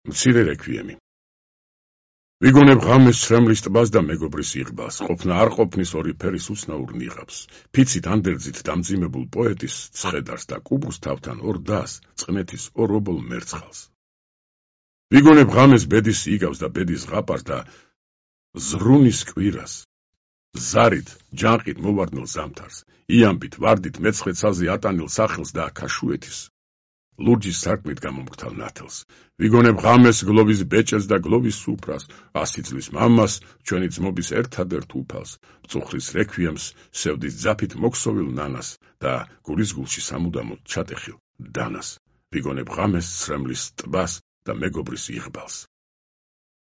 მცირე რექვიემი. ვიგონებ ღამეს სრემლის ტბას და მეგობრის იღბას, ყოფნა არ ყოფნის ორი ფერის უცნაურ ნიღაბს, ფიცით ანდერძით დამძიმებულ პოეტის ცხედარს და კუბუს თავთან ორ დას, წყნეთის ორ ობოლ მერცხალს. ვიგონებ ღამეს ბედის იგავს და ბედის ღაპარს და ზრუნის კვირას, ზარით, ჯანყით მოვარდნილ ზამთარს, იამბით, ვარდით მეცხრე ცალზე ატანილ სახელს და ქაშუეთის, ლურჯის სარკმლით გამომგთალ ნათელს. ვიგონებ ღამეს გლოვის ბეჭედს და გლოვის სუფრას, 100 წლის მამას, ჩვენი ძმობის ერთადერთ უფალს, მწუხრის რექვიემს, სევდის ძაფით მოქსოვილ ნანას და გულის გულში სამუდამოდ ჩატეხილ დანას. ვიგონებ ღამეს სრემლის ტბას და მეგობრის იღბალს.